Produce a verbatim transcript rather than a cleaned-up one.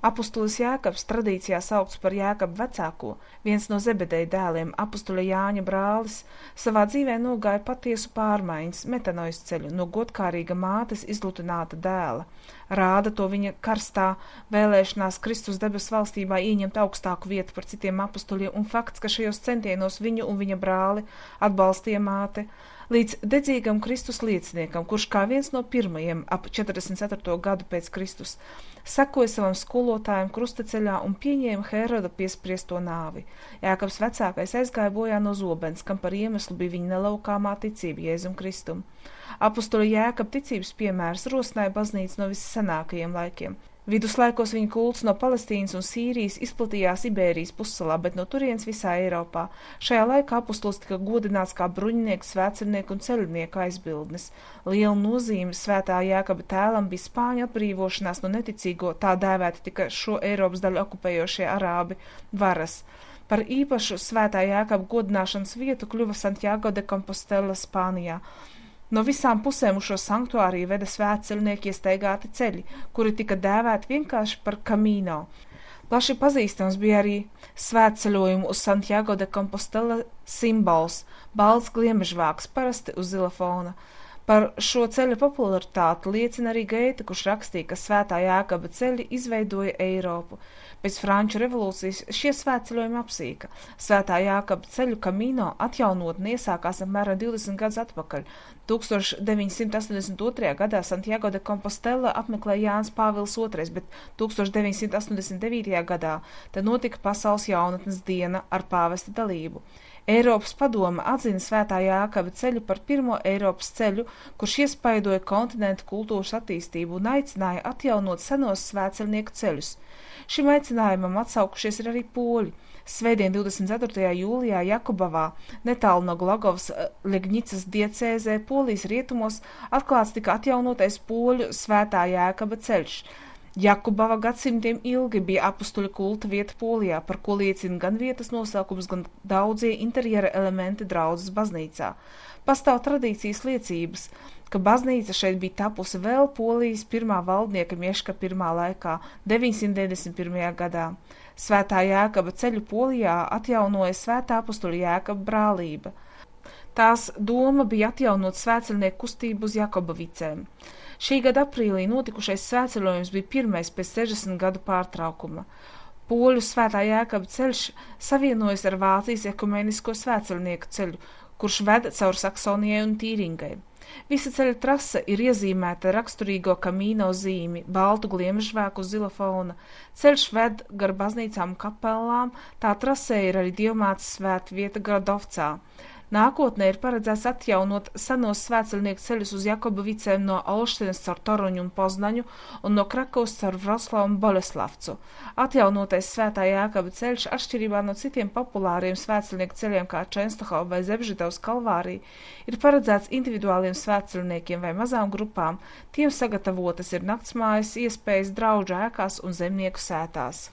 Apustulis Jēkabs tradīcijā saukts par Jēkabu vecāko, viens no Zebedeja dēliem, apustuļa Jāņa brālis, savā dzīvē nogāja patiesu pārmaiņas, metanojas ceļu no godkārīga mātes izlutināta dēla. Rāda to viņa karstā vēlēšanās Kristus debes valstībā ieņemt augstāku vietu par citiem apustuļiem un fakts, ka šajos centienos viņu un viņa brāli atbalstīja māte, līdz dedzīgam Kristus lieciniekam, kurš kā viens no pirmajiem ap četrdesmit ceturto gadu pēc Kristus sekoja savam skolotājam krustaceļā un pieņēma Heroda piespriesto nāvi. Jēkabs vecākais aizgāja bojā no zobens, kam par iemeslu bija viņa nelaukāmā ticība Jēzum Kristum. Apustuļa Jēkaba ticības piemērs rosināja baznīcu no vissenākajiem laikiem. Viduslaikos viņa kults no Palestīnas un Sīrijas izplatījās Ibērijas pussalā, bet no turienes visā Eiropā. Šajā laikā apustulis tika godināts kā bruņinieks, svētceļnieku un ceļnieku aizbildnis. Liela nozīme svētā Jēkaba tēlam bija Spāņu atbrīvošanās no neticīgo, tā dēvēta tika šo Eiropas daļu okupējošie arābi varas. Par īpašu svētā Jēkaba godināšanas vietu kļuva Santiago de Compostela Spānijā. No visām pusēm uz šo sanktuāriju veda svētceļnieki iestaigāti ceļi, kuri tika dēvēti vienkārši par Camino. Plaši pazīstams bija arī svētceļojumu uz Santiago de Compostela simbols – balts gliemežvāks, parasti uz zila fona. Par šo ceļa popularitāti liecina arī Geita, kurš rakstīja, ka svētā Jēkaba ceļi izveidoja Eiropu. Pēc Franču revolūcijas šie svētceļojumi apsīka. Svētā Jēkaba ceļu Camino atjaunotne iesākās apmēram divdesmit gadus atpakaļ. tūkstoš deviņsimt astoņdesmit otrajā gadā Santiago de Compostela apmeklēja Jānis Pāvils otrais, bet tūkstoš deviņsimt astoņdesmit devītajā gadā te notika Pasaules jaunatnes diena ar pāvesta dalību. Eiropas padome atzina svētā Jēkaba ceļu par pirmo Eiropas ceļu, kurš iespaidoja kontinentu kultūras attīstību un aicināja atjaunot senos svētceļnieku ceļus. Šim aicinājumam atsaukušies ir arī poļi. Svētdien divdesmit ceturtajā jūlijā Jakubavā, netālu no Glagovas Ļegnitsas diecēzē, Polijas rietumos, atklāts tika atjaunotais poļu svētā Jēkaba ceļš. Jakubava gadsimtiem ilgi bija apustuļu kulta vieta Polijā, par ko liecina gan vietas nosaukums, gan daudzie interjera elementi draudzes baznīcā. Pastāv tradīcijas liecības, ka baznīca šeit bija tapusi vēl Polijas pirmā valdnieka Mieška pirmā laikā, deviņsimt deviņdesmit pirmajā gadā. Svētā Jēkaba ceļu Polijā atjaunoja svētā apustuļa Jēkaba brālība. Tās doma bija atjaunot svētceļnieku kustību uz Jakobavicēm. Šī gada aprīlī notikušais svētceļojums bija pirmais pēc sešdesmit gadu pārtraukuma. Poļu svētā Jēkaba ceļš savienojas ar Vācijas ekumenisko svētceļnieku ceļu, kurš veda caur Saksonijai un Tīringai. Visa ceļa trase ir iezīmēta raksturīgo Camino zīmi, baltu gliemežvēku uz zila fona. Ceļš ved gar baznīcām un kapelām, tā trasē ir arī dievmātes svētvieta Gradovcā. Nākotnē ir paredzēts atjaunot senos svētceļnieku ceļus uz Jakobavicēm no Olštenes caur Toruņu un Poznaņu un no Krakovas caur Vroclavu un Boleslavcu. Atjaunotais svētā Jēkaba ceļš, atšķirībā no citiem populāriem svētceļnieku ceļiem kā Čenstohova vai Zebžidovas Kalvārija, ir paredzēts individuāliem svētceļniekiem vai mazām grupām. Tiem sagatavotas ir naktsmājas, iespējas draudžu ēkās un zemnieku sētās.